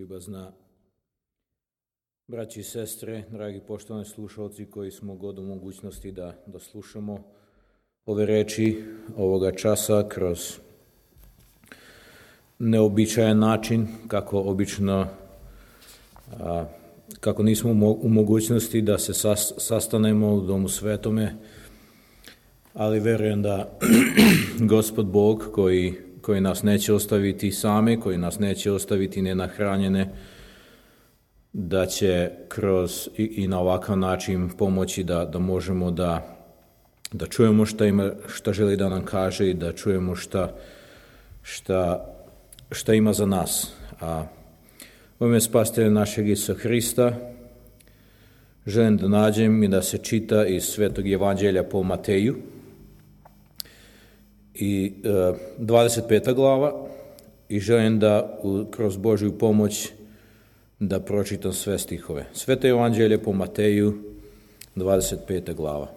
Ljubazna braći i sestre, dragi poštovani slušalci koji smo god u mogućnosti da slušamo ove reči ovoga časa kroz neobičajan način, kako nismo u mogućnosti da se sastanemo u Domu Svetome, ali verujem da Gospod Bog koji nas neće ostaviti same, koji nas neće ostaviti nenahranjene, da će kroz i na ovakav način pomoći da možemo da čujemo šta želi da nam kaže i da čujemo šta ima za nas. A u ime Spasitelja našeg Isusa Hrista želim da nađem i da se čita iz Svetog Evanđelja po Mateju i 25. glava i želim da kroz Božju pomoć da pročitam sve stihove. Sveto Evanđelje po Mateju, 25. glava.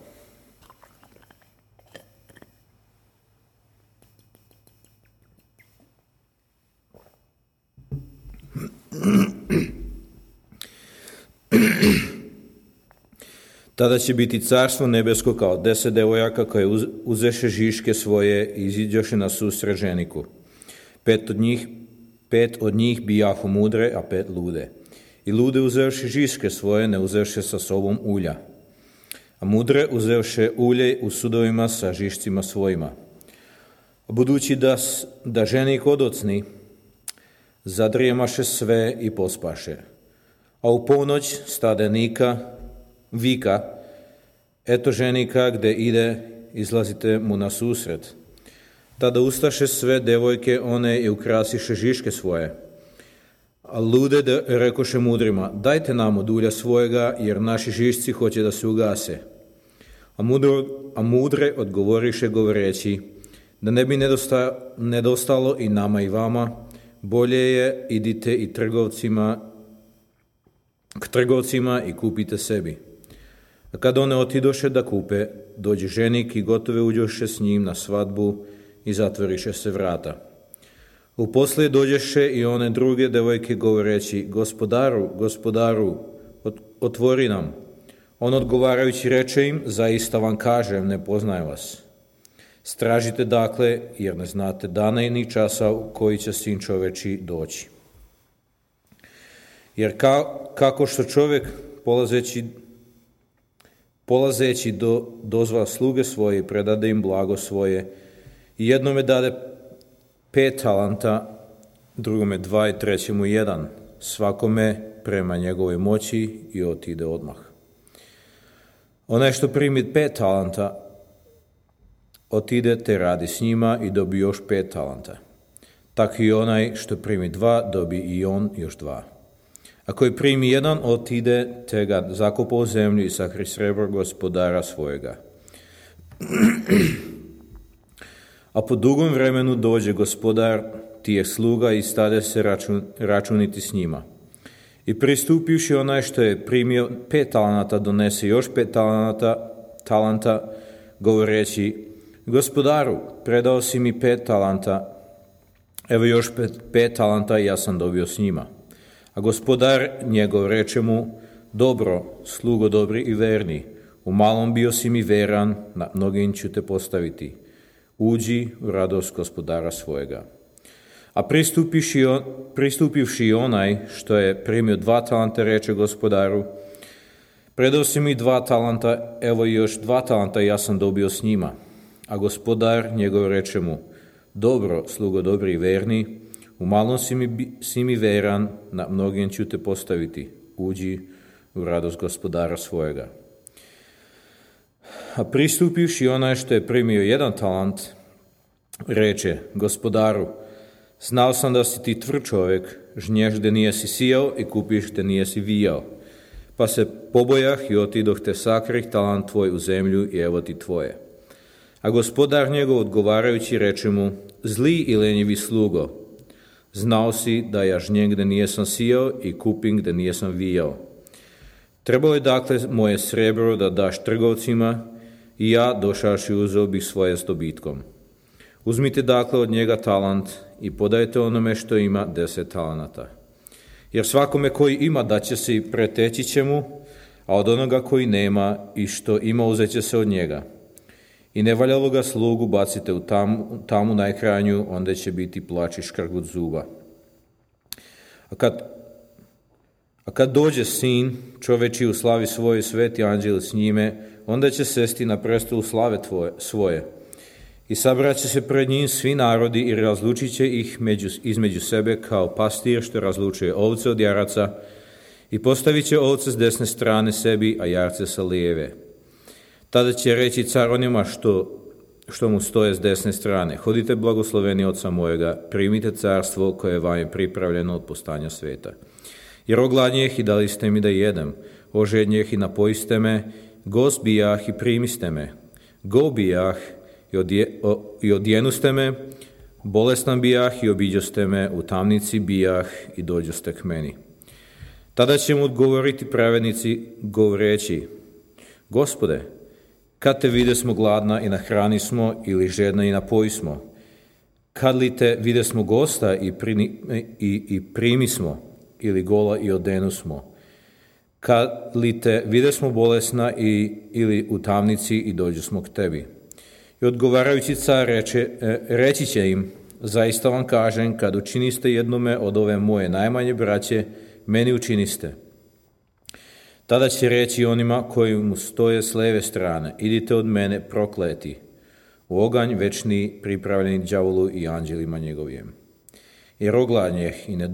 Tada će biti carstvo nebesko kao 10 devojaka koje uzeše žiške svoje i iziđoše na susret ženiku. Pet od njih bijahu mudre, a 5 lude. I lude uzevše žiške svoje, ne uzevše sa sobom ulja. A mudre uzevše ulje u sudovima sa žišcima svojima. A budući da ženik odocni, zadrijemaše sve i pospaše. A u ponoć stade vika, eto ženika gde ide, izlazite mu na susret. Tada ustaše sve devojke one i ukrasiše žiške svoje. A lude rekoše mudrima, dajte nam od ulja svojega, jer naši žišci hoće da se ugase. A mudre odgovoriše govoreći, da ne bi nedostalo i nama i vama, bolje je idite i k trgovcima i kupite sebi. A kad one otidoše da kupe, dođe ženik i gotove uđoše s njim na svadbu i zatvoriše se vrata. Uposlije dođeše i one druge devojke govoreći, gospodaru, otvori nam. On odgovarajući reče im, zaista vam kažem, ne poznajem vas. Stražite dakle, jer ne znate dana i ni časa u koji će Sin čoveči doći. Jer kako što čovjek polazeći dozva sluge svoje i predade im blago svoje, i jednome dade 5 talanta, drugome 2 i trećemu 1, svakome prema njegovoj moći i otide odmah. Onaj što primi 5 talanta, otide te radi s njima i dobi još 5 talanta. Tako i onaj što primi 2, dobi i on još 2. A koji primi 1, otide, te ga zakopa u zemlju i sahri srebro gospodara svojega. A po dugom vremenu dođe gospodar tijeh sluga i stade se računiti s njima. I pristupivši onaj što je primio 5 talanata, donese još 5 talanta, govoreći, gospodaru, predao si mi 5 talanta, evo još 5 talanta i ja sam dobio s njima. A gospodar njegov reče mu, dobro, slugo dobri i verni, u malom bio si mi veran, na mnogim ću te postaviti. Uđi u radost gospodara svojega. A pristupivši onaj što je primio 2 talanta, reče gospodaru, predao si mi 2 talanta, evo i još 2 talanta i ja sam dobio s njima. A gospodar njegov reče mu, dobro, slugo dobri i verni, u malom si mi veran, na mnogim ću te postaviti. Uđi u radost gospodara svojega. A pristupivši onaj što je primio 1 talant, reče, gospodaru, znao sam da si ti tvrd čovjek, žnješ gde nijesi sijao i kupiš gde nijesi vijao. Pa se pobojah i otidoh te sakrih talant tvoj u zemlju i evo ti tvoje. A gospodar njegov odgovarajući reče mu, zli i lenjivi slugo, znao si da ja žnjem gde nijesam sijao i kupim gde nijesam vijao. Trebalo je dakle moje srebro da daš trgovcima i ja došavši uzeo bih svoje s dobitkom. Uzmite dakle od njega talant i podajte onome što ima 10 talanata. Jer svakome koji ima daće se i preteći će mu, a od onoga koji nema i što ima uzet će se od njega. I nevaljalo ga slugu bacite u tamu najkrajnju, onda će biti plač i škrgut zuba. A kad dođe sin čoveči u slavi svoje, sveti anđeli s njime, onda će sesti na prestolu slave svoje. I sabraće se pred njim svi narodi i razlučit će ih između sebe kao pastir što razlučuje ovce od jaraca i postavit će ovce s desne strane sebi, a jarce sa lijeve. Tada će reći car onima što mu stoje s desne strane: hodite blagosloveni oca mojega, primite carstvo koje vam je pripravljeno od postanja sveta. Jer ogladnjeh i dali ste mi da jedem, ožednjeh i napojiste me, gost bijah i primiste me, go bijah i odjenuste me, bolestan bijah i obiđoste me, u tamnici bijah i dođoste k meni. Tada će mu odgovoriti pravednici govoreći: Gospode, kad te videsmo gladna i nahranismo, ili žedna i napojismo? Kad li te videsmo gosta i primismo, ili gola i odenusmo? Kad li te videsmo bolesna ili u tamnici i dođosmo k tebi? I odgovarajući car reći će im: zaista vam kažem, kad učiniste jednome od ove moje najmanje braće, meni učiniste. Tada će reći onima koji mu stoje s leve strane: idite od mene prokleti, u oganj večni pripravljeni đavolu i anđelima njegovim. Jer ogladnjeh i ne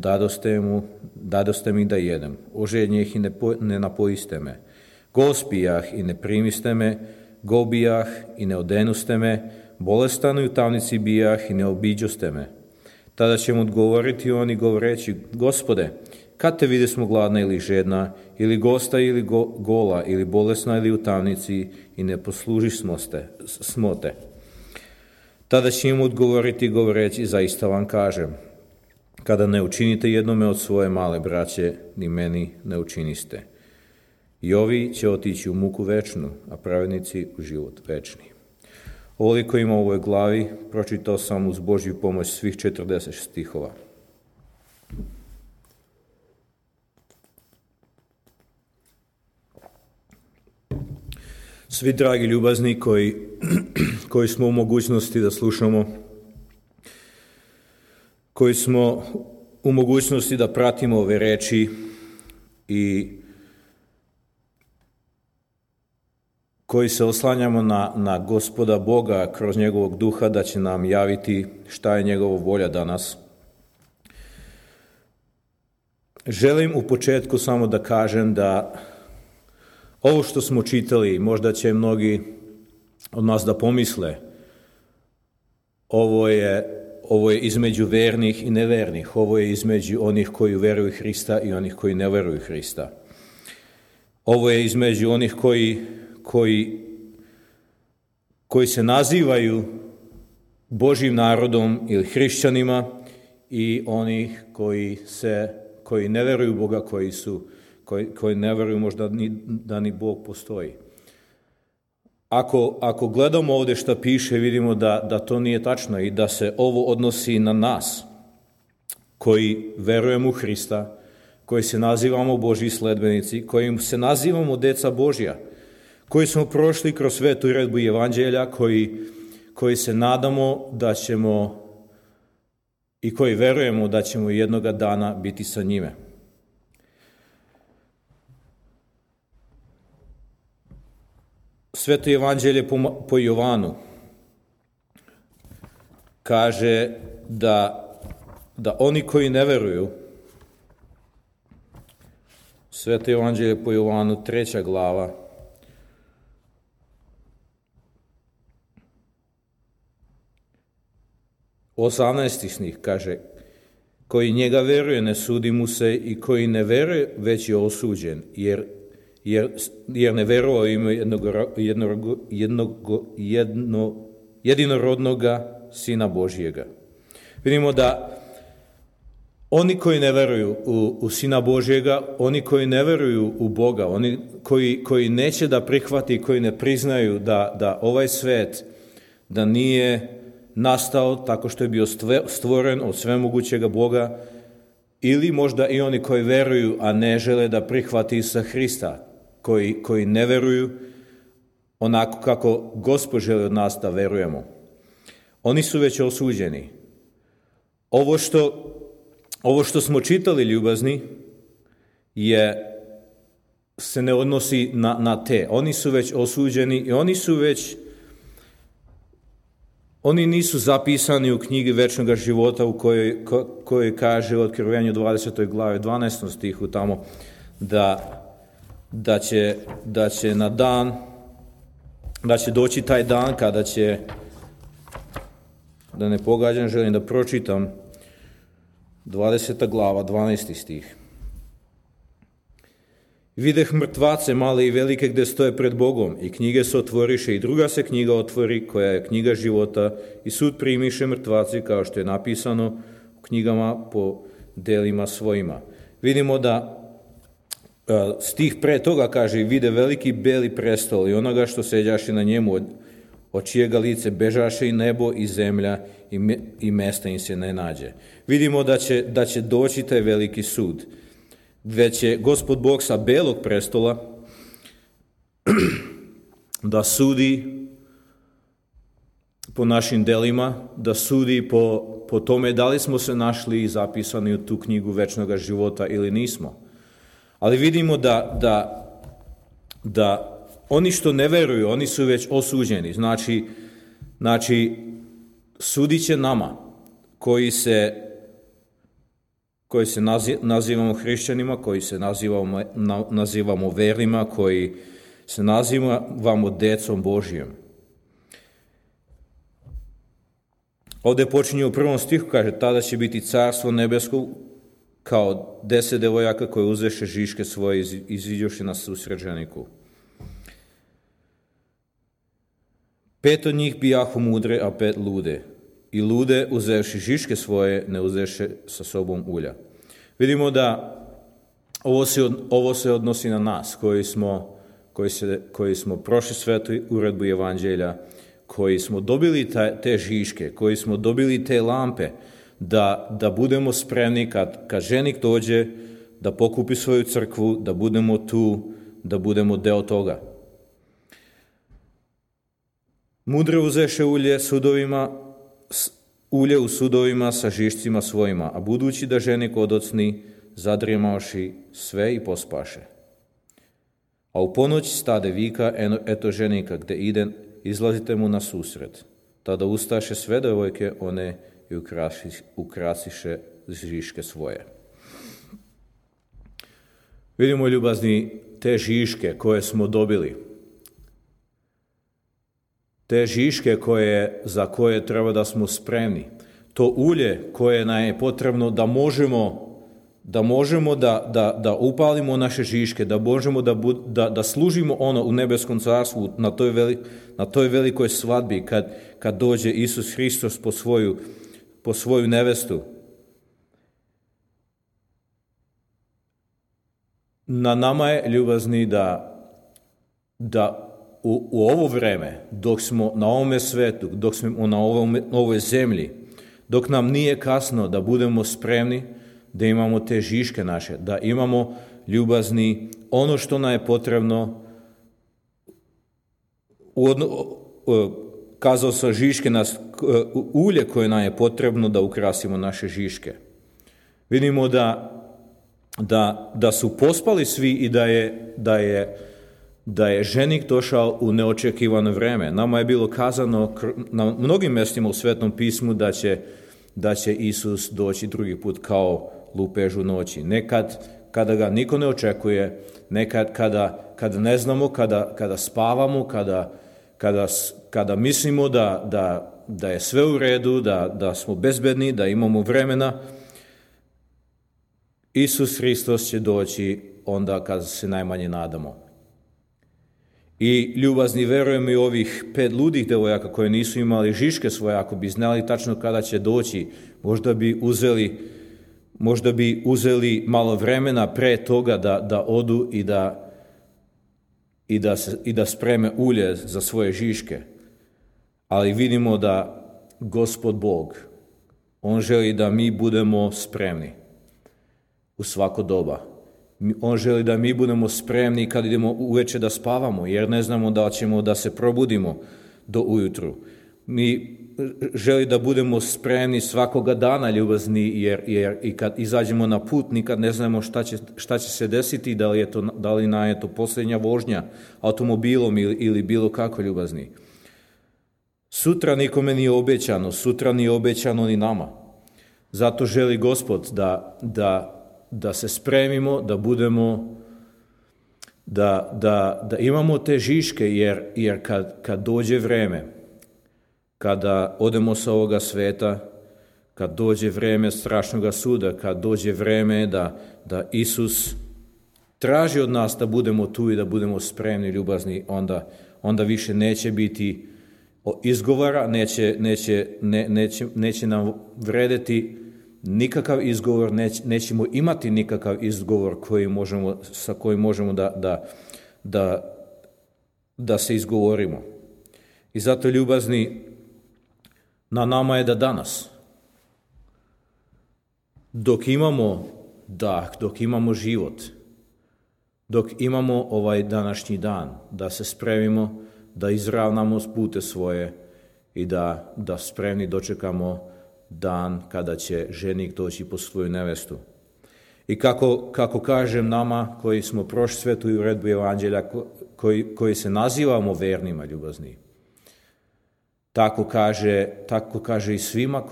dadoste mi da jedem, ožednjeh i ne napojiste me, gospijah i ne primiste me, gobijah i ne odenuste me, bolestan i u tamnici bijah i ne obiđoste me. Tada će mu odgovoriti oni govoreći: Gospode, kad te videsmo gladna ili žedna, ili gosta ili gola, ili bolesna ili u tamnici i ne poslužismo te. Tada će im odgovoriti govoreći: zaista vam kažem, kada ne učinite jednome od svoje male braće, ni meni ne učiniste. I ovi će otići u muku večnu, a pravednici u život večni. Ovoliko ima u ovoj glavi, pročitao sam uz Božju pomoć svih 40 stihova. Svi dragi ljubazni koji smo u mogućnosti da slušamo, koji smo u mogućnosti da pratimo ove reči i koji se oslanjamo na Gospoda Boga kroz njegovog duha da će nam javiti šta je njegova volja danas. Želim u početku samo da kažem da ovo što smo čitali, možda će mnogi od nas da pomisle, ovo je između vernih i nevernih, ovo je između onih koji veruju Hrista i onih koji ne veruju Hrista. Ovo je između onih koji se nazivaju Božjim narodom ili hrišćanima i onih koji ne veruju Boga, koji ne veruju možda da ni Bog postoji. Ako gledamo ovdje što piše, vidimo da to nije tačno i da se ovo odnosi na nas koji verujemo u Hrista, koji se nazivamo Božji sledbenici, koji se nazivamo deca Božja, koji smo prošli kroz svetu uredbu evanđelja, koji se nadamo da ćemo i koji verujemo da ćemo jednoga dana biti sa njime. Sveto evanđelje po Jovanu kaže da oni koji ne veruju, Sveto evanđelje po Jovanu 3. glava, u 18. stih kaže: koji njega veruje ne sudi mu se, i koji ne veruje već je osuđen, jer ne verovao ima jedinorodnoga Sina Božjega. Vidimo da oni koji ne veruju u Sina Božjega, oni koji ne veruju u Boga, oni koji neće da prihvati, koji ne priznaju da ovaj svet da nije nastao tako što je bio stvoren od svemogućega Boga, ili možda i oni koji veruju, a ne žele da prihvati Isusa Hrista, koji ne veruju onako kako Gospod želi od nas da verujemo. Oni su već osuđeni. Ovo što smo čitali, ljubazni, se ne odnosi na te. Oni su već osuđeni i oni nisu zapisani u knjigi večnog života u kojoj kaže u Otkrivenju 20. glavi 12. stihu tamo da će na dan, da će doći taj dan kada će, da ne pogađam, želim da pročitam 20. glava 12. stih. Videh mrtvace male i velike gde stoje pred Bogom i knjige se otvoriše i druga se knjiga otvori koja je knjiga života i sud primiše mrtvaci kao što je napisano u knjigama po delima svojima. Vidimo da stih pre toga kaže vide veliki beli prestol i onoga što seđaše na njemu od čijega lice bežaše i nebo i zemlja i mesta im se ne nađe. Vidimo da će doći taj veliki sud. Već je Gospod Bog sa belog prestola da sudi po našim delima, da sudi po tome da li smo se našli i zapisani u tu knjigu večnog života ili nismo. Ali vidimo da oni što ne veruju, oni su već osuđeni. Znači sudit će nama koji se nazivamo hrišćanima, koji se nazivamo vernima, koji se nazivamo decom Božijom. Ovdje počinje u 1. stihu, kaže, tada će biti carstvo nebesko kao 10 devojaka koje uzeše žiške svoje i iziđoše na susret ženiku. 5 od njih bijahu mudre, a 5 lude. I lude, uzevši žiške svoje, ne uzeše sa sobom ulja. Vidimo da ovo se odnosi na nas, koji smo prošli svetu uredbu evanđelja, koji smo dobili te žiške, koji smo dobili te lampe, da budemo spremni kad ženik dođe, da pokupi svoju crkvu, da budemo tu, da budemo deo toga. Mudre uzeše ulje u sudovima sa žišcima svojima, a budući da ženik odocni, zadrijemavši sve i pospaše. A u ponoć stade vika, eto ženika gde ide, izlazite mu na susret. Tada ustaše sve devojke, one i ukrasiše žiške svoje. Vidimo, ljubazni, te žiške koje smo dobili, te žiške za koje treba da smo spremni, to ulje koje nam je potrebno da možemo da upalimo naše žiške, da možemo da služimo ono u nebeskom carstvu na toj velikoj svadbi kad dođe Isus Hristos po svoju nevestu. Na nama je, ljubazni, da u ovo vreme, dok smo na ovome svetu, dok smo na ovoj zemlji, dok nam nije kasno, da budemo spremni, da imamo te žiške naše, da imamo, ljubazni, ono što nam je potrebno, kazao sa žiške ulje koje nam je potrebno da ukrasimo naše žiške. Vidimo da su pospali svi i da je ženik došao u neočekivano vreme. Nama je bilo kazano na mnogim mjestima u Svetom pismu da će Isus doći drugi put kao lupež u noći. Nekad kada ga niko ne očekuje, nekad kada ne znamo, kada spavamo, kada mislimo da je sve u redu, da smo bezbedni, da imamo vremena, Isus Hristos će doći onda kada se najmanje nadamo. I, ljubazni, verujem i ovih 5 ludih devojaka koje nisu imali žiške svoje, ako bi znali tačno kada će doći, možda bi uzeli malo vremena pre toga da odu i da spreme ulje za svoje žiške. Ali vidimo da Gospod Bog, On želi da mi budemo spremni. u svako doba. On želi da mi budemo spremni kad idemo uveče da spavamo, jer ne znamo da ćemo da se probudimo do ujutru. Mi želi da budemo spremni svakoga dana ljubazni, jer i kad izađemo na put nikad ne znamo šta će se desiti, da li nam je to posljednja vožnja automobilom ili bilo kako ljubazni. Sutra nikome nije obećano, sutra nije obećano ni nama. Zato želi Gospod da se spremimo, da budemo, da imamo te žiške, jer kad dođe vreme, kada odemo sa ovoga sveta, kad dođe vreme strašnog suda, kad dođe vreme da Isus traži od nas da budemo tu i da budemo spremni, ljubazni, onda više neće biti izgovora, neće nam vredeti nikakav izgovor, nećemo imati nikakav izgovor sa kojim možemo da se izgovorimo. I zato, ljubazni, na nama je da danas, dok imamo dah, dok imamo život, dok imamo ovaj današnji dan, da se spremimo, da izravnamo pute svoje i da spremni dočekamo dan kada će ženik doći po svoju nevestu. I kako kažem nama koji smo prošli svetu i uredbu evanđelja, koji se nazivamo vernima, ljubazni, tako kaže i svima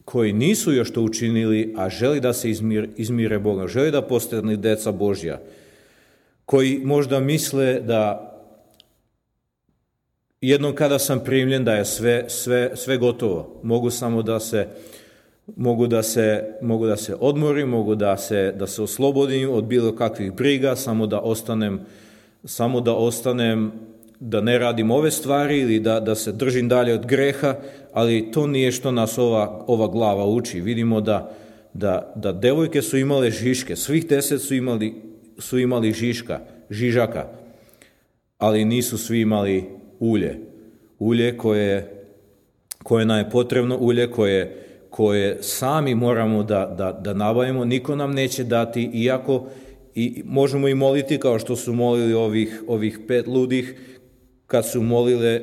koji nisu još to učinili, a želi da se izmire Boga, želi da postanu deca Božja, koji možda misle da jednom kada sam primljen da je sve gotovo, mogu da se odmorim, mogu da se oslobodim od bilo kakvih briga, samo da ostanem, da ne radim ove stvari ili da se držim dalje od greha, ali to nije što nas ova glava uči. Vidimo da devojke su imale žiške, svih 10 su imali žižaka, ali nisu svi imali ulje koje nam je potrebno, ulje koje sami moramo da nabavimo, niko nam neće dati, iako i možemo i moliti kao što su molili ovih 5 ludih, kad su molile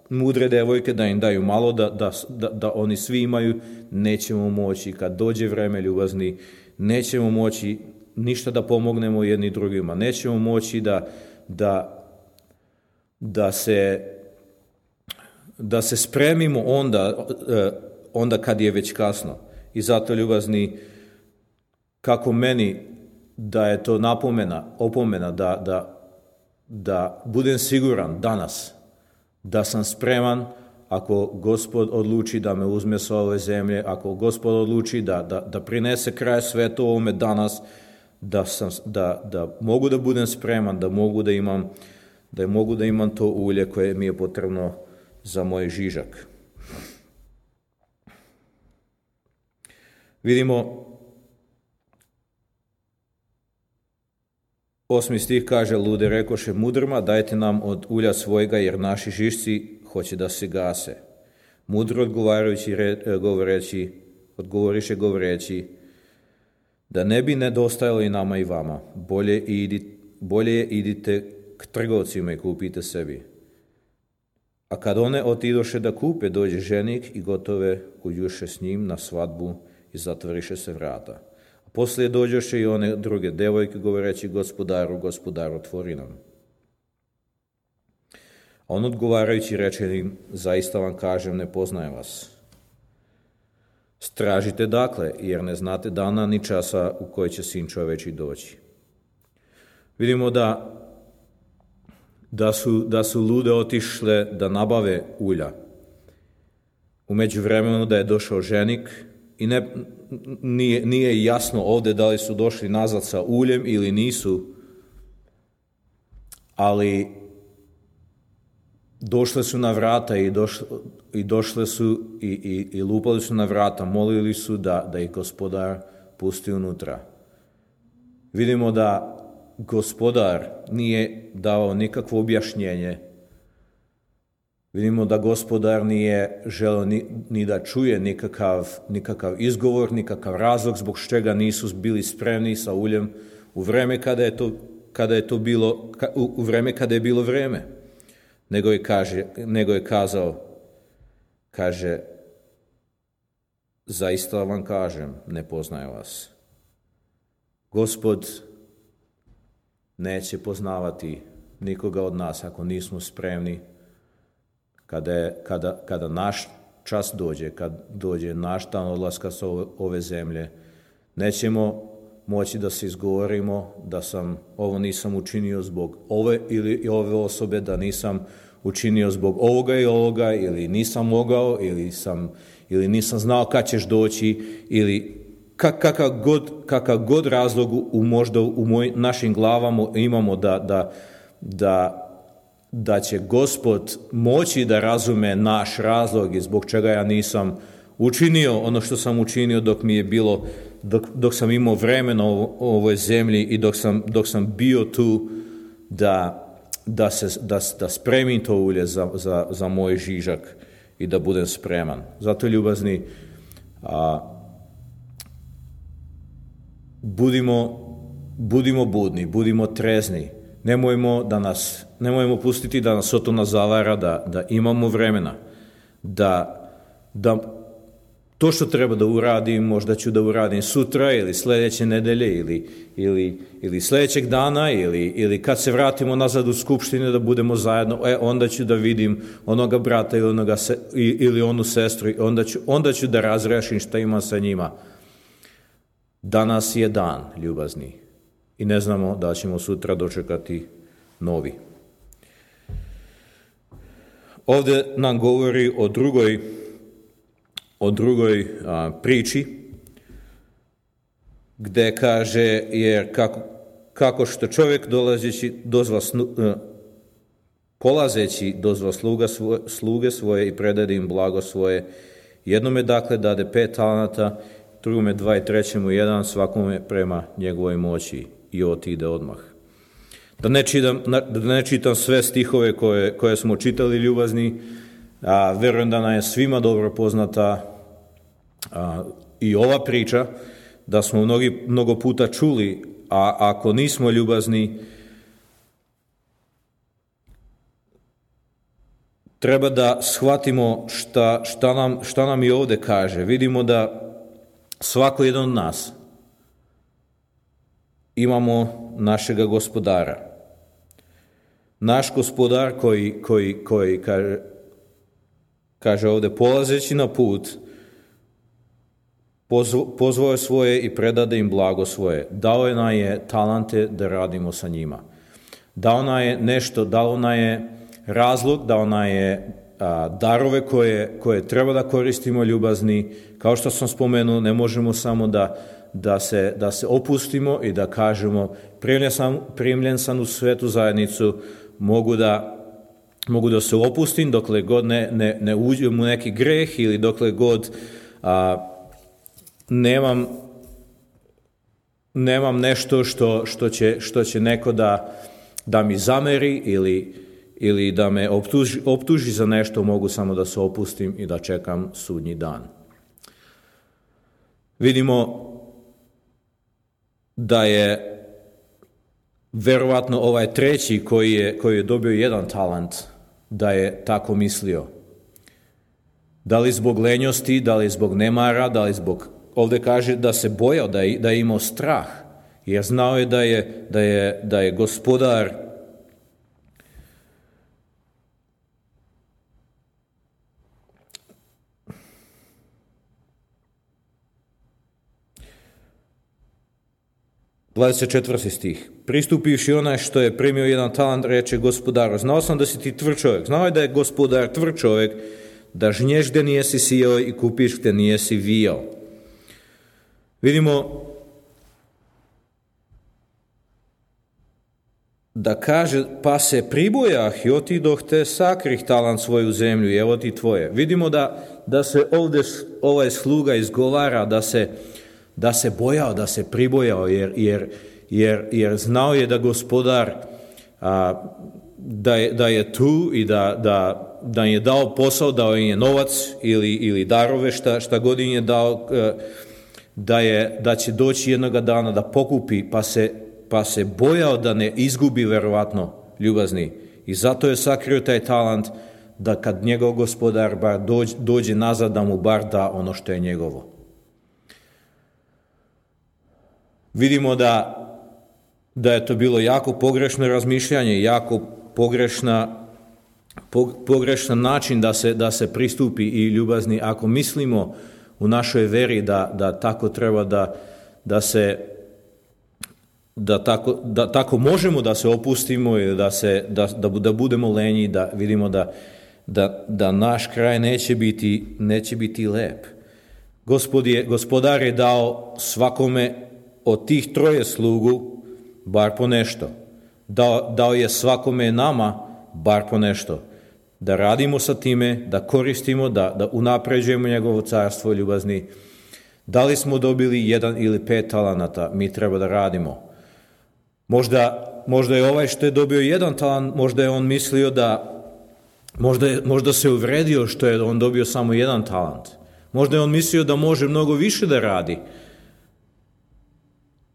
mudre devojke da im daju malo, da oni svi imaju, nećemo moći. Kad dođe vreme, ljubazni, nećemo moći ništa da pomognemo jedni drugima, nećemo moći da se spremimo onda kad je već kasno. I zato, ljubazni, kako meni da je to opomena da budem siguran danas da sam spreman, ako Gospod odluči da me uzme sa ove zemlje, ako Gospod odluči da prinese kraj svetu ovome danas, da mogu da budem spreman, da mogu da imam to ulje koje mi je potrebno za moj žižak. Vidimo, 8. stih kaže: lude rekoše mudrima, dajte nam od ulja svojega, jer naši žišci hoće da se gase. Mudro odgovoriše govoreći, da ne bi nedostajalo i nama i vama, bolje idite k trgovcima i kupite sebi. A kad one otidoše da kupe, dođe ženik i gotove uđuše s njim na svadbu i zatvoriše se vrata. A poslije dođoše i one druge devojke govoreći: gospodaru, otvori nam. A on odgovarajući reče im: zaista vam kažem, ne poznajem vas. Stražite dakle, jer ne znate dana ni časa u koji će Sin čoveči doći. Vidimo da su lude otišle da nabave ulja. U međuvremenu da je došao ženik i nije jasno ovdje da li su došli nazad sa uljem ili nisu, ali došle su na vrata i došle su i lupali su na vrata, molili su da ih Gospodar pusti unutra. Vidimo da Gospodar nije dao nikakvo objašnjenje Vidimo da gospodar nije želeo ni da čuje nikakav izgovor, nikakav razlog zbog čega nisu bili spremni sa uljem u vreme kada je bilo vreme. Nego je kazao, zaista vam kažem, ne poznaje vas. Gospod neće poznavati nikoga od nas ako nismo spremni. Kada naš čas dođe, kad dođe naš dan odlaska sa ove zemlje, nećemo moći da se izgovorimo da ovo nisam učinio zbog ove ili ove osobe, da nisam učinio zbog ovoga i ovoga, ili nisam mogao, ili nisam znao kad ćeš doći, ili kakav god razlog možda u našim glavama imamo da će Gospod moći da razume naš razlog i zbog čega ja nisam učinio ono što sam učinio dok mi je bilo, dok sam imao vremena u ovoj zemlji i dok sam bio tu da spremim to ulje za moj žižak i da budem spreman. Zato, ljubazni, budimo budni, budimo trezni. Nemojmo pustiti da nas Sotona zavara, da imamo vremena, da to što treba da uradim, možda ću da uradim sutra ili sljedeće nedelje ili sljedećeg dana ili kad se vratimo nazad u skupštine da budemo zajedno, onda ću da vidim onoga brata ili onu sestru, onda ću da razrešim šta ima sa njima. Danas je dan, ljubazni, i ne znamo da ćemo sutra dočekati novi. Ovdje nam govori o drugoj priči, gdje kaže, jer kako što čovjek polazeći dozva sluge svoje i predade im blago svoje, jednome dakle dade 5 talenata, drugome 2 i trećemu 1, svakome prema njegovoj moći, i otide odmah. Da ne čitam sve stihove koje smo čitali, ljubazni, vjerujem da nam je svima dobro poznata i ova priča, da smo mnogo puta čuli, a ako nismo ljubazni, treba da shvatimo šta nam i ovdje kaže. Vidimo da svako jedan od nas imamo našega gospodara. Naš gospodar koji kaže ovdje, polazeći na put, pozvao je svoje i predade im blago svoje. Dao je nam je talente da radimo sa njima. Dao nam je nešto, dao nam je razlog, dao nam je darove koje treba da koristimo, ljubazni. Kao što sam spomenuo, ne možemo samo da se opustimo i da kažemo primljen sam u svetu zajednicu, mogu da se opustim dokle god ne uđem u neki greh ili dokle god nemam nešto što će neko da mi zameri ili da me optuži za nešto, mogu samo da se opustim i da čekam sudnji dan. Vidimo da je verovatno ovaj treći koji je dobio 1 talent, da je tako mislio. Da li zbog lenjosti, da li zbog nemara, da li zbog, ovdje kaže da se bojao, da je imao strah, jer znao je da je gospodar (24. stih). Pristupivši onaj što je primio 1 talent, reče gospodaru, znao sam da si ti tvrd čovjek. Znao je da je gospodar tvrd čovjek, da žnješ gdje nijesi sijao i kupiš gdje nijesi vijao. Vidimo da kaže, pa se pribojah i otidoh te sakrih talent svoju zemlju i evo ti tvoje. Vidimo da se ovdje ovaj sluga izgovara da se bojao, da se pribojao, jer znao je da gospodar da je tu i im je dao posao, dao im je novac ili darove, šta god im je dao, da će doći jednoga dana da pokupi, pa se bojao da ne izgubi verovatno, ljubazni. I zato je sakrio taj talent, da kad njegov gospodar bar dođe nazad, da mu bar da ono što je njegovo. Vidimo da je to bilo jako pogrešno razmišljanje, jako pogrešan način da se pristupi i ljubazni. Ako mislimo u našoj veri da tako treba da tako možemo da se opustimo ili da budemo lenji, da vidimo da naš kraj neće biti lep. Gospodar je dao svakome od tih troje slugu bar po nešto. Dao je svakome nama bar po nešto. Da radimo sa time, da koristimo, da unapređujemo njegovo carstvo, ljubazni. Da li smo dobili 1 ili 5 talenata, mi treba da radimo. Možda je ovaj što je dobio 1 talant, možda je on mislio možda se uvredio što je on dobio samo 1 talant. Možda je on mislio da može mnogo više da radi.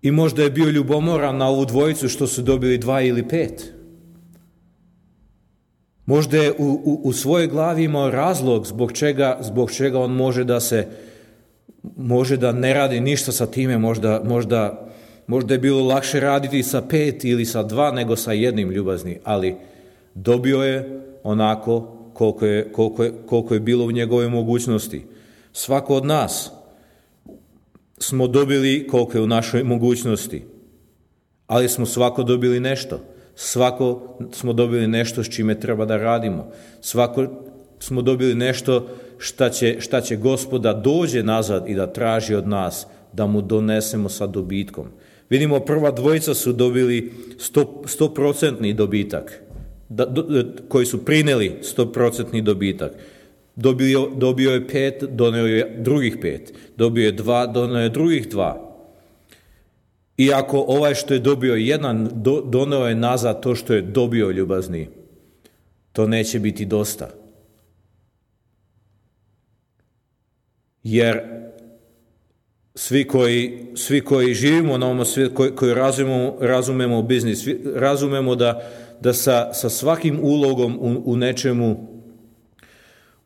I možda je bio ljubomoran na ovu dvojicu što su dobili 2 ili 5. Možda je u svojoj glavi imao razlog zbog čega on može da ne radi ništa sa time. Možda je bilo lakše raditi sa 5 ili sa 2 nego sa 1, ljubazni, ali dobio je onako koliko je bilo u njegove mogućnosti. Svako od nas smo dobili koliko je u našoj mogućnosti, ali smo svako dobili nešto. Svako smo dobili nešto s čime treba da radimo. Svako smo dobili nešto šta će Gospoda dođe nazad i da traži od nas da mu donesemo sa dobitkom. Vidimo, prva dvojica su dobili 100% dobitak, koji su prineli 100% dobitak. Dobio je 5, doneo je drugih 5. Dobio je 2, doneo je drugih 2. Iako ovaj što je dobio 1, doneo je nazad to što je dobio, ljubazni, to neće biti dosta. Jer svi koji živimo na ovom svijetu, koji razumemo biznis, razumemo da sa svakim ulogom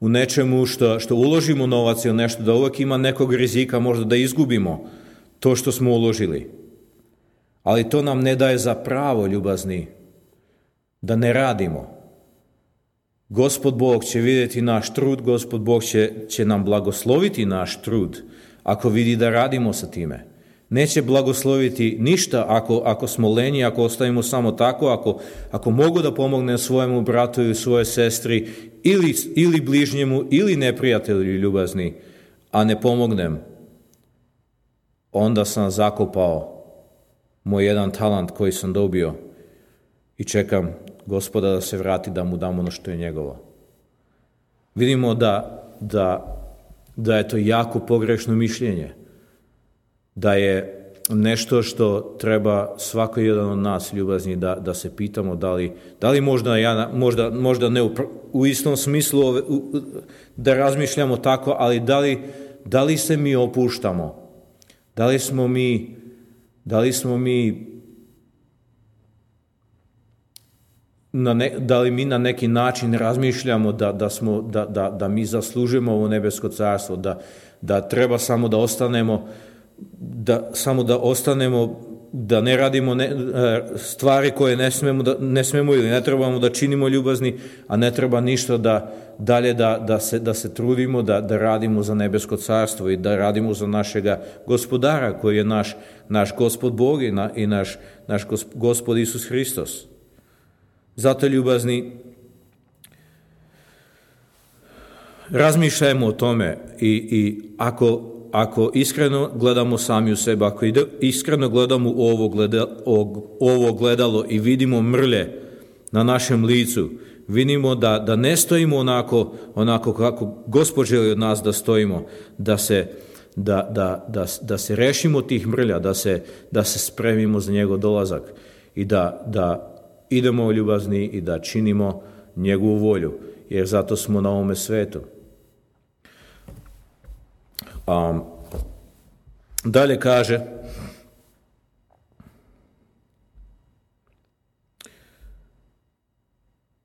u nečemu što uložimo novac ili nešto, da uvijek ima nekog rizika, možda da izgubimo to što smo uložili. Ali to nam ne daje za pravo, ljubazni, da ne radimo. Gospod Bog će vidjeti naš trud, Gospod Bog će nam blagosloviti naš trud ako vidi da radimo sa time. Neće blagosloviti ništa ako smo lenji, ako ostavimo samo tako, ako mogu da pomognem svojemu bratu ili svojoj sestri ili bližnjemu ili neprijatelju, ljubazni, a ne pomognem, onda sam zakopao moj 1 talent koji sam dobio i čekam Gospoda da se vrati da mu dam ono što je njegovo. Vidimo da je to jako pogrešno mišljenje, da je nešto što treba svako jedan od nas, ljubazni, da se pitamo da li možda ne u istom smislu da razmišljamo tako, ali da li se mi opuštamo, da li mi na neki način razmišljamo da mi zaslužujemo ovo nebesko carstvo, da treba samo da ostanemo, da ne radimo stvari koje ne smemo ili ne trebamo da činimo, ljubazni, a ne treba ništa da se trudimo da radimo za nebesko carstvo i da radimo za našega gospodara koji je naš Gospod Bog i naš Gospod Isus Hristos. Zato, ljubazni, razmišljajmo o tome i ako iskreno gledamo sami u sebe, ako iskreno gledamo u ovo gledalo i vidimo mrlje na našem licu, vidimo da ne stojimo onako kako Gospod želi od nas da stojimo, da se rešimo tih mrlja, da se spremimo za njegov dolazak i da idemo, ljubazni, i da činimo njegovu volju. jer zato smo na ovome svetu. Dalje kaže,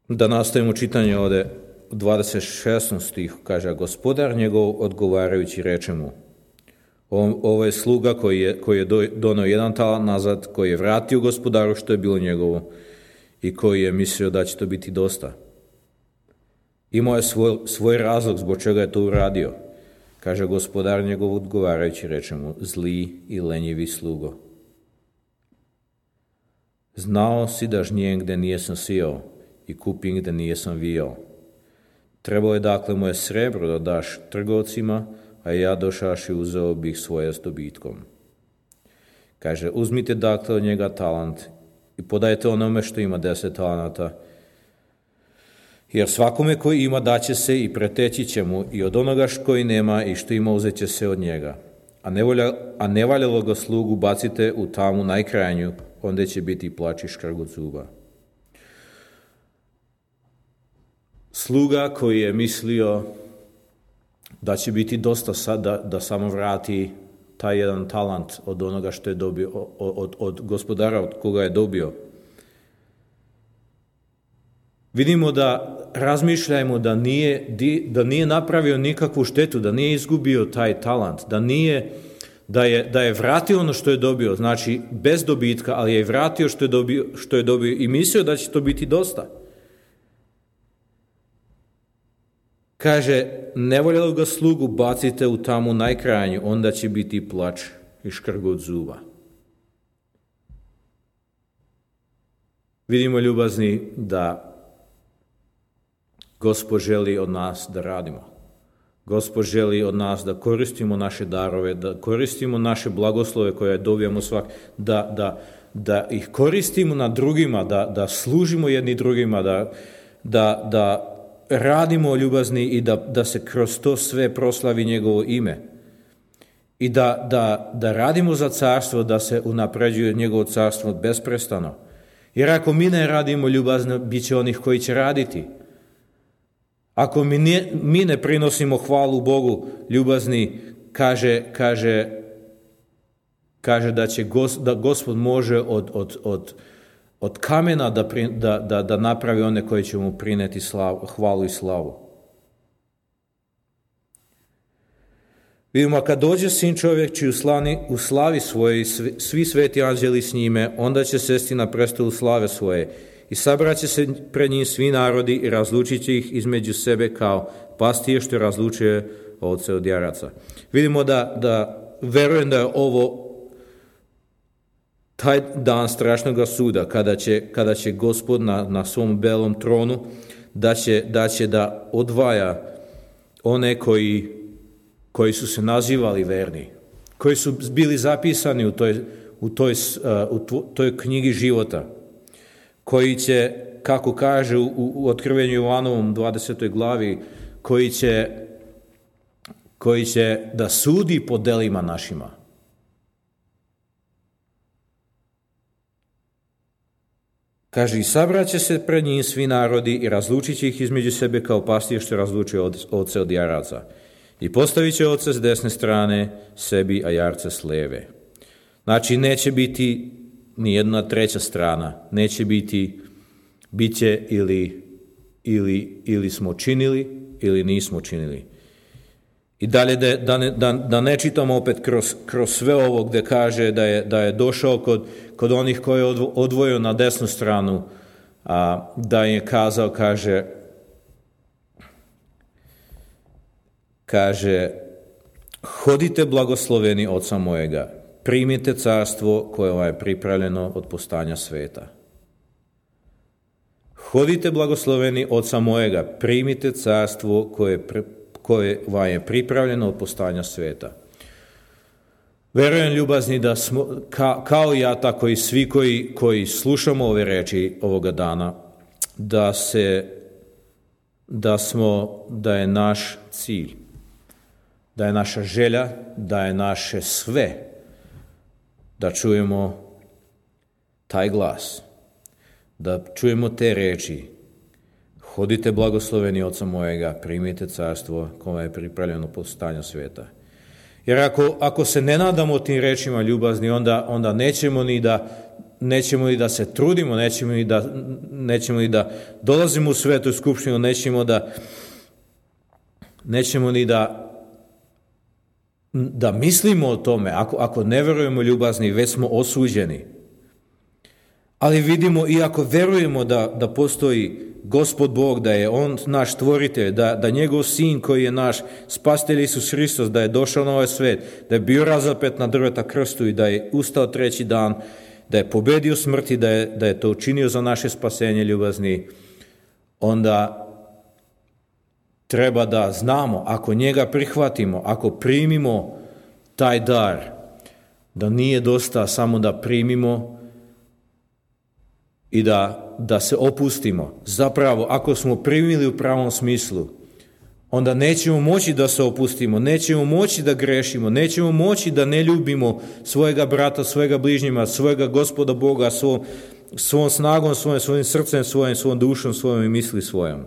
da nastavimo čitanje ovdje u 26. stihu, kaže, a gospodar njegov odgovarajući reče mu, ovo je sluga koji je donio 1 talant nazad, koji je vratio gospodaru što je bilo njegovo i koji je mislio da će to biti dosta. Imao je svoj razlog zbog čega je to uradio. Kaže, gospodar njegov odgovarajući reče mu, zli i lenjivi slugo. Znao si da žnijem gde nijesam sijao i kupim gde nijesam vijao. Trebalo je dakle moje srebro da daš trgovcima, a ja došaš i uzeo bih svoje s dobitkom. Kaže, uzmite dakle od njega talant i podajte onome što ima 10 talanata, jer svakome koji ima daće se i preteći će mu, i od onoga koji nema i što ima uzet će se od njega. A nevaljalo ga slugu bacite u tamu najkrajnju, onda će biti plač i škrgut zuba. Sluga koji je mislio da će biti dosta sad da samo vrati taj 1 talant od onoga što je dobio, od gospodara od koga je dobio. Vidimo da razmišljajmo da nije napravio nikakvu štetu, da nije izgubio taj talant, da je vratio ono što je dobio, znači bez dobitka, ali je vratio što je dobio i mislio da će to biti dosta. Kaže, nevoljelo ga slugu bacite u tamu najkrajnju, onda će biti plač i škrgut zuba. Vidimo, ljubazni, da Gospod želi od nas da radimo. Gospod želi od nas da koristimo naše darove, da koristimo naše blagoslove koje dobijamo da ih koristimo na drugima, da služimo jedni drugima, da radimo, ljubazni, i da se kroz to sve proslavi njegovo ime. I da radimo za carstvo, da se unapređuje njegovo carstvo besprestano. Jer ako mi ne radimo, ljubazno, bit će onih koji će raditi. Ako mi ne prinosimo hvalu Bogu, ljubazni, kaže da Gospod može od kamena da napravi one koji će mu prineti hvalu i slavu. Vidimo, kad dođe Sin čovjek čiji u slavi svojoj svi sveti anđeli s njime, onda će sesti na prestolu slave svoje i sabraće se pred njim svi narodi i razlučit će ih između sebe kao pastir što razlučuje ovce od jaraca. Vidimo da verujem da je ovo taj dan strašnog suda, kada će Gospod na svom belom tronu da će da odvaja one koji su se nazivali verni, koji su bili zapisani u toj knjigi života, koji će, kako kaže u Otkrivenju Jovanovom 20. glavi, koji će da sudi po delima našima. Kaže, i sabraće se pred njim svi narodi i razlučit će ih između sebe kao pastir što razlučuje ovce od jaraca. I postavit će ovce s desne strane sebi, a jarce s leve. Znači, neće biti ni jedna treća strana. Neće biti, bit će ili smo činili, ili nismo činili. I dalje da ne čitamo opet kroz sve ovo gdje kaže da je došao kod onih koje je odvojio na desnu stranu, da je kazao, kaže, hodite blagosloveni Oca mojega, primite carstvo koje vam je pripravljeno od postanja sveta. Hodite blagosloveni Oca mojega, primite carstvo koje vam je pripravljeno od postanja sveta. Verujem, ljubazni, da smo, kao ja, tako i svi koji slušamo ove reči ovoga dana, da je naš cilj, da je naša želja, da je naše sve, da čujemo taj glas, da čujemo te reči. Hodite blagosloveni Oca mojega, primite carstvo kome je pripravljeno po stanju svijeta. Jer ako se ne nadamo tim rečima ljubazni, onda nećemo ni da se trudimo, nećemo ni da dolazimo u svetu skupštinu, nećemo ni da mislimo o tome. Ako ne verujemo ljubazni, već smo osuđeni. Ali vidimo, i ako verujemo da postoji Gospod Bog, da je On naš stvoritelj, da njegov sin koji je naš spasitelj Isus Hristos, da je došao na ovaj svet, da je bio razapet na drveta krstu i da je ustao treći dan, da je pobedio smrti, da je to učinio za naše spasenje ljubazni, onda treba da znamo, ako njega prihvatimo, ako primimo taj dar, da nije dosta samo da primimo i da se opustimo. Zapravo, ako smo primili u pravom smislu, onda nećemo moći da se opustimo, nećemo moći da grešimo, nećemo moći da ne ljubimo svojega brata, svojega bližnjima, svojega Gospoda Boga, svom snagom, svojim srcem, svojom dušom, svojom misli svojom.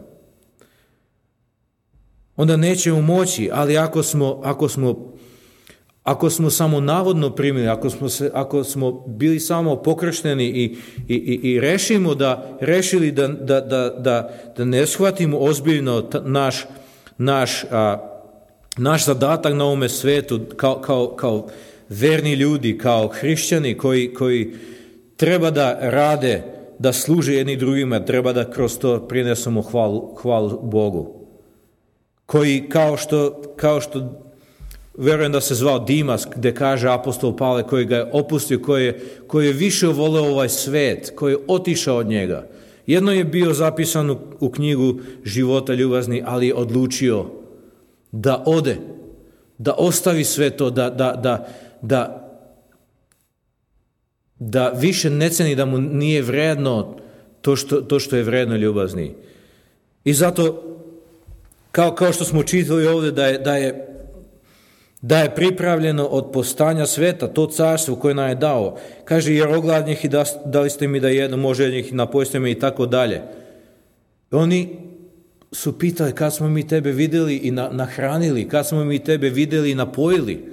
Onda nećemo moći, ali ako smo samo navodno primili, ako smo bili samo pokršteni i rešili da ne shvatimo ozbiljno naš zadatak na ovome svetu kao verni ljudi, kao hrišćani koji treba da rade, da služe jedni drugima, treba da kroz to prinesemo hvalu Bogu. Koji kao što verujem da se zvao Dimas, gde kaže apostol Pavle, koji ga je opustio, koji je više voleo ovaj svet, koji je otišao od njega. Jedno je bio zapisano u knjigu života ljubazni, ali je odlučio da ode, da ostavi sve to, da više ne ceni, da mu nije vredno to što je vredno ljubazni. I zato, kao što smo čitali ovdje, da je pripravljeno od postanja sveta to carstvo koje nam je dao. Kaže, jer ogladnih i dali ste mi da jedno, može njih napojite me i tako dalje. Oni su pitali kad smo mi tebe vidjeli i nahranili, kad smo mi tebe vidjeli i napojili.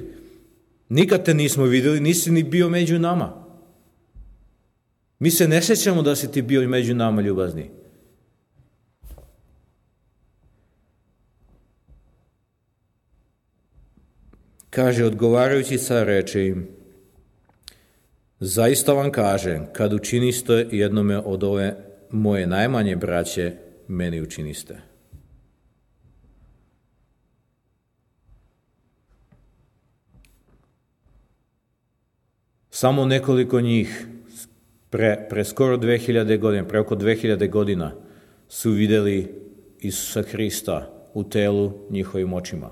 Nikad te nismo vidjeli, nisi ni bio među nama. Mi se ne sjećamo da si ti bio među nama, ljubazni. Kaže, odgovarajući car reče im, zaista vam kažem, kad učiniste jednome od ove moje najmanje braće, meni učiniste. Samo nekoliko njih pre skoro 2000 godina, pre oko 2000 godina su vidjeli Isusa Hrista u telu njihovim očima.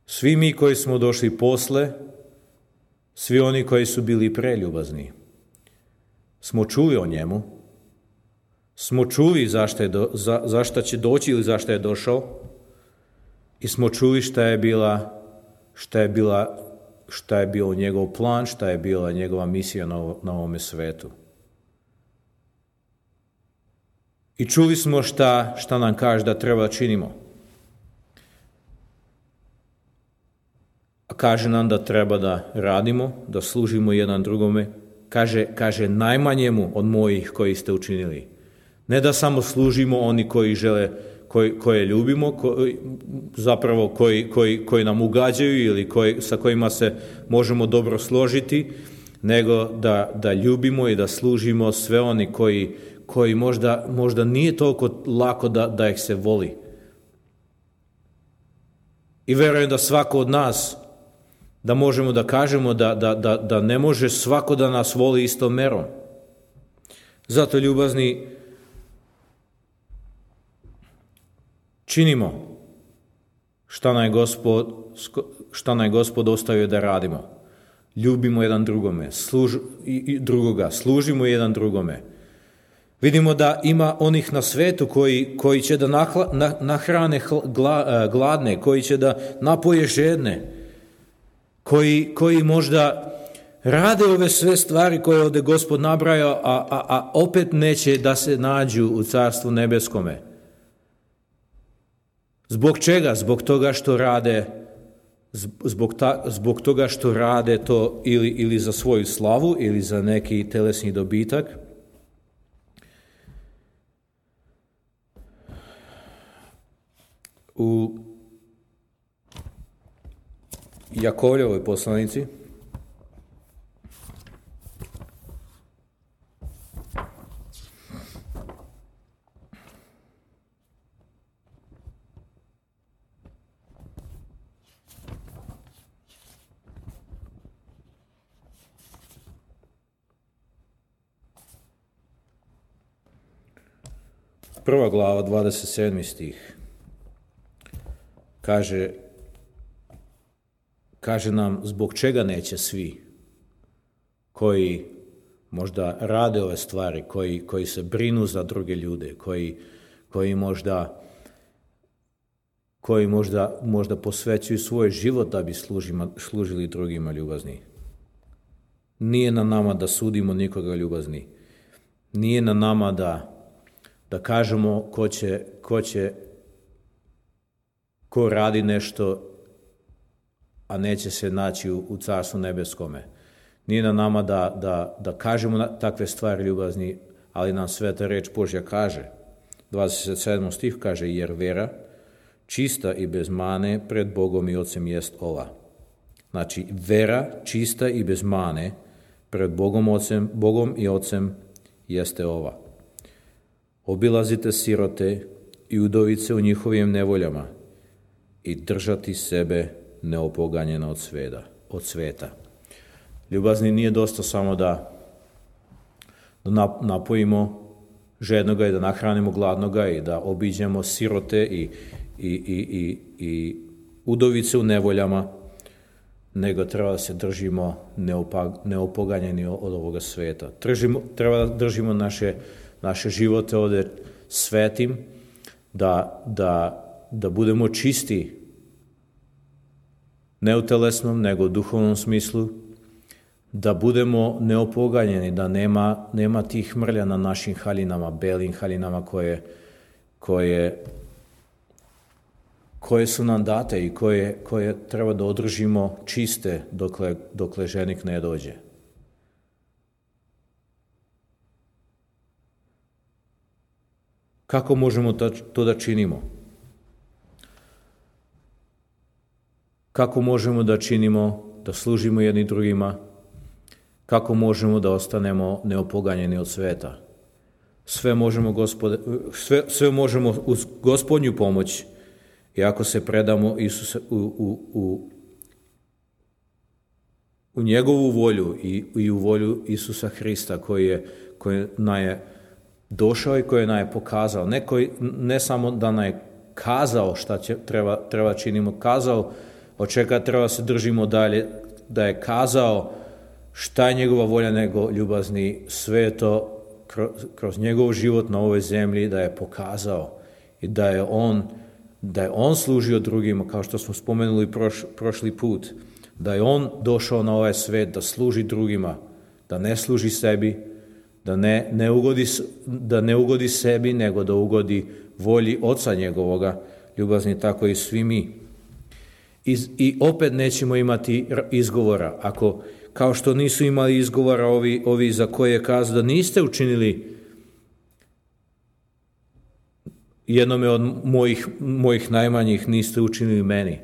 Svi mi koji smo došli posle, svi oni koji su bili preljubazni, smo čuli o njemu, smo čuli zašto će doći ili zašto je došao i smo čuli šta je bio njegov plan, šta je bila njegova misija na ovome svetu. I čuli smo šta nam kaže da treba činimo. A kaže nam da treba da radimo, da služimo jedan drugome. Kaže najmanjemu od mojih koji ste učinili. Ne da samo služimo oni koji žele, koje ljubimo, koji nam ugađaju ili sa kojima se možemo dobro složiti, nego da ljubimo i da služimo sve oni koji možda nije toliko lako da ih se voli. I verujem da svako od nas, da možemo da kažemo da ne može svako da nas voli istom merom. Zato, ljubazni, činimo šta nam je Gospod ostavio da radimo. Ljubimo jedan drugoga, služimo jedan drugome. Vidimo da ima onih na svetu koji će da nahrane gladne, koji će da napoje žedne, koji možda rade ove sve stvari koje ovdje Gospod nabrajao, a opet neće da se nađu u Carstvu nebeskome. Zbog čega? Zbog toga što rade zbog toga što rade to ili za svoju slavu ili za neki telesni dobitak. U Jakovljevoj poslanici prva glava, 27. stih, kaže nam zbog čega neće svi koji možda rade ove stvari, koji se brinu za druge ljude, koji možda posvećuju svoj život da bi služili drugima ljubazni. Nije na nama da sudimo nikoga ljubazni. Nije na nama da kažemo ko radi nešto, a neće se naći u Carstvu nebeskome. Nije na nama da kažemo takve stvari ljubazni, ali nam Sveta reč Božja kaže. 27. stih kaže, jer vera čista i bez mane pred Bogom i Ocem jest ova. Znači, vera čista i bez mane pred Bogom i Ocem jeste ova. Obilazite sirote i udovice u njihovim nevoljama i držati sebe neopoganjena od sveta. Ljubazni, nije dosta samo da napojimo žednoga i da nahranimo gladnoga i da obiđemo sirote i udovice u nevoljama, nego treba da se držimo neopoganjeni od ovoga sveta. Treba da držimo naše živote ovdje svetim, da budemo čisti, ne u telesnom, nego u duhovnom smislu, da budemo neopoganjeni, da nema tih mrlja na našim haljinama, belim haljinama koje su nam date i koje treba da održimo čiste dokle ženik ne dođe. Kako možemo to da činimo? Kako možemo da činimo, da služimo jedni drugima? Kako možemo da ostanemo neopoganjeni od sveta? Sve možemo uz Gospodnju pomoć i ako se predamo u njegovu volju i u volju Isusa Hrista koji nam je došao i koji nam je pokazao. Ne samo da nam je kazao šta treba činimo, kazao od čega treba se držimo dalje, da je kazao šta je njegova volja, nego ljubazni, sve to kroz njegov život na ovoj zemlji da je pokazao i da je on služio drugima, kao što smo spomenuli prošli put, da je on došao na ovaj svet da služi drugima, da ne služi sebi, da ne ugodi sebi, nego da ugodi volji Oca njegovoga, ljubazni, tako i svi mi. I opet nećemo imati izgovora, ako kao što nisu imali izgovora ovi za koje je kazao da niste učinili jednome od mojih najmanjih, niste učinili meni.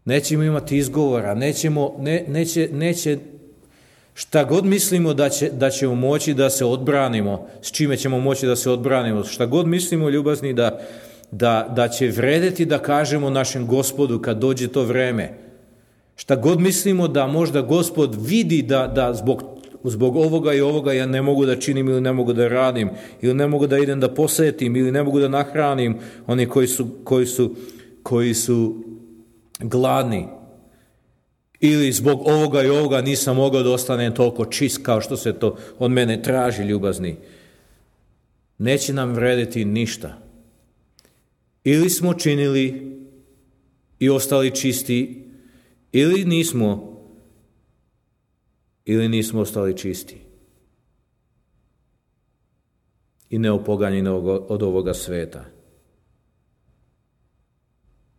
Nećemo imati izgovora, neće šta god mislimo da ćemo moći da se odbranimo, s čime ćemo moći da se odbranimo, šta god mislimo, ljubazni, da će vredeti da kažemo našem Gospodu kad dođe to vreme. Šta god mislimo da možda Gospod vidi da zbog ovoga i ovoga ja ne mogu da činim ili ne mogu da radim ili ne mogu da idem da posjetim ili ne mogu da nahranim oni koji su gladni, ili zbog ovoga i ovoga nisam mogao da ostanem toliko čist kao što se to od mene traži, ljubazni. Neće nam vrediti ništa. Ili smo činili i ostali čisti, ili nismo ili nismo ostali čisti i neopoganjeni od ovoga sveta.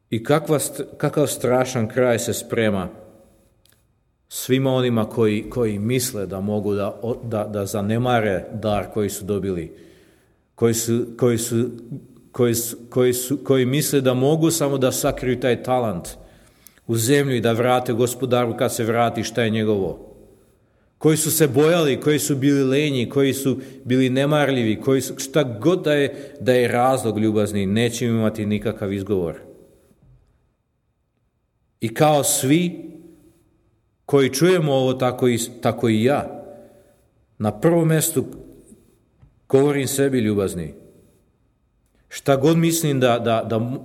I kakav strašan kraj se sprema svima onima koji misle da mogu da zanemare dar koji su dobili, koji misle da mogu samo da sakriju taj talent u zemlju i da vrate gospodaru kad se vrati šta je njegovo. Koji su se bojali, koji su bili lenji, koji su bili nemarljivi, šta god da je razlog ljubazni, neće imati nikakav izgovor. I kao svi koji čujemo ovo, tako i ja, na prvom mjestu govorim sebi ljubazni. Šta god mislim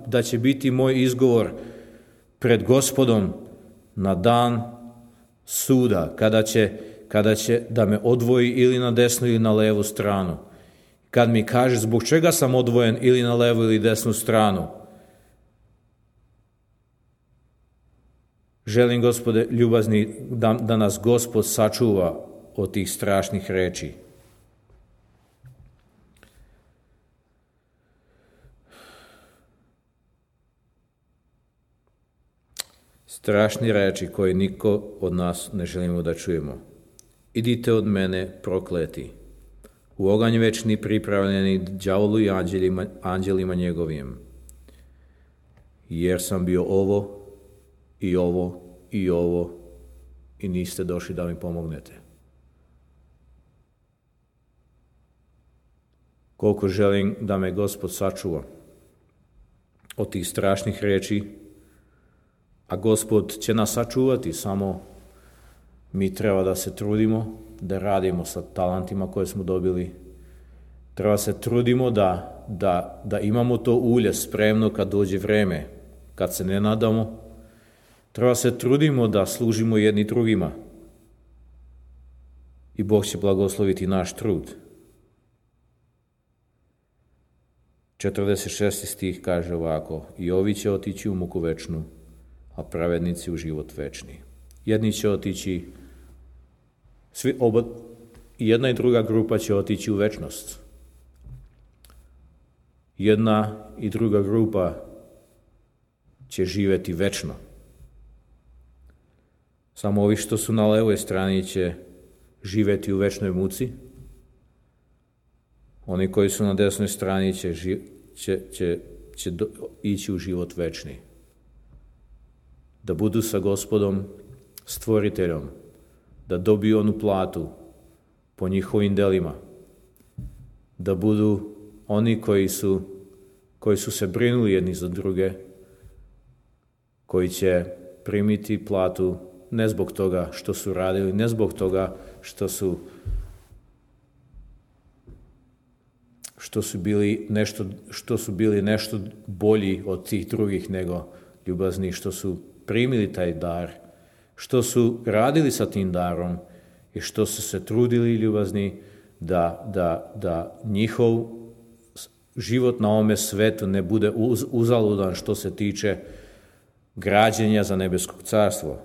da će biti moj izgovor pred Gospodom na dan suda, kada će da me odvoji ili na desnu ili na levu stranu. Kad mi kaže zbog čega sam odvojen ili na levu ili desnu stranu. Želim, Gospode, ljubazni, da nas Gospod sačuva od tih strašnih reči. Strašni reči koje niko od nas ne želimo da čujemo. Idite od mene, prokleti, u oganj večni pripravljeni đavolu i anđelima njegovim, jer sam bio ovo i ovo i ovo i niste došli da mi pomognete. Koliko želim da me Gospod sačuva od tih strašnih reči, a Gospod će nas sačuvati, samo mi treba da se trudimo, da radimo sa talentima koje smo dobili. Treba se trudimo da imamo to ulje spremno kad dođe vreme, kad se ne nadamo. Treba se trudimo da služimo jedni drugima. I Bog će blagosloviti naš trud. 46. stih kaže ovako: i ovi će otići u muku večnu, a pravednici u život večni. Jedni će otići, jedna i druga grupa će otići u večnost. Jedna i druga grupa će živjeti večno. Samo ovi što su na levoj strani će živjeti u večnoj muci. Oni koji su na desnoj strani će ići u život večni. Da budu sa Gospodom, stvoriteljom, da dobiju onu platu po njihovim delima, da budu oni koji su se brinuli jedni za druge, koji će primiti platu ne zbog toga što su radili, ne zbog toga što su bili nešto bolji od tih drugih, nego ljubazni što su primili taj dar, što su radili sa tim darom i što su se trudili ljubazni da njihov život na ovome svetu ne bude uzaludan što se tiče građenja za nebeskog carstvo.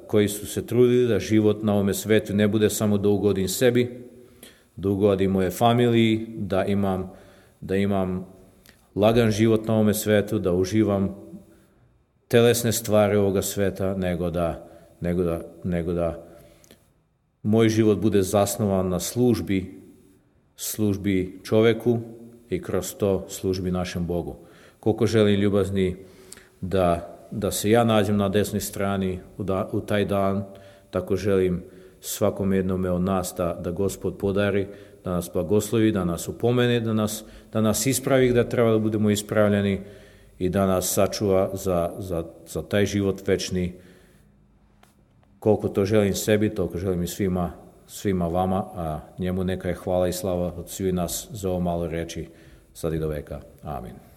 Koji su se trudili da život na ovome svetu ne bude samo da ugodim sebi, da ugodim moje familiji, da imam lagan život na ovome svetu, da uživam telesne stvari ovoga sveta, nego da moj život bude zasnovan na službi čoveku i kroz to službi našem Bogu. Koliko želim, ljubazni, da se ja nađem na desnoj strani u taj dan, tako želim svakom jednome od nas da Gospod podari, da nas blagoslovi, da nas upomene, da nas ispravi da treba da budemo ispravljeni i da nas sačuva za taj život večni. Koliko to želim sebi, toliko želim i svima vama, a njemu neka je hvala i slava od svih nas za ovo malo reči, sad i do veka. Amin.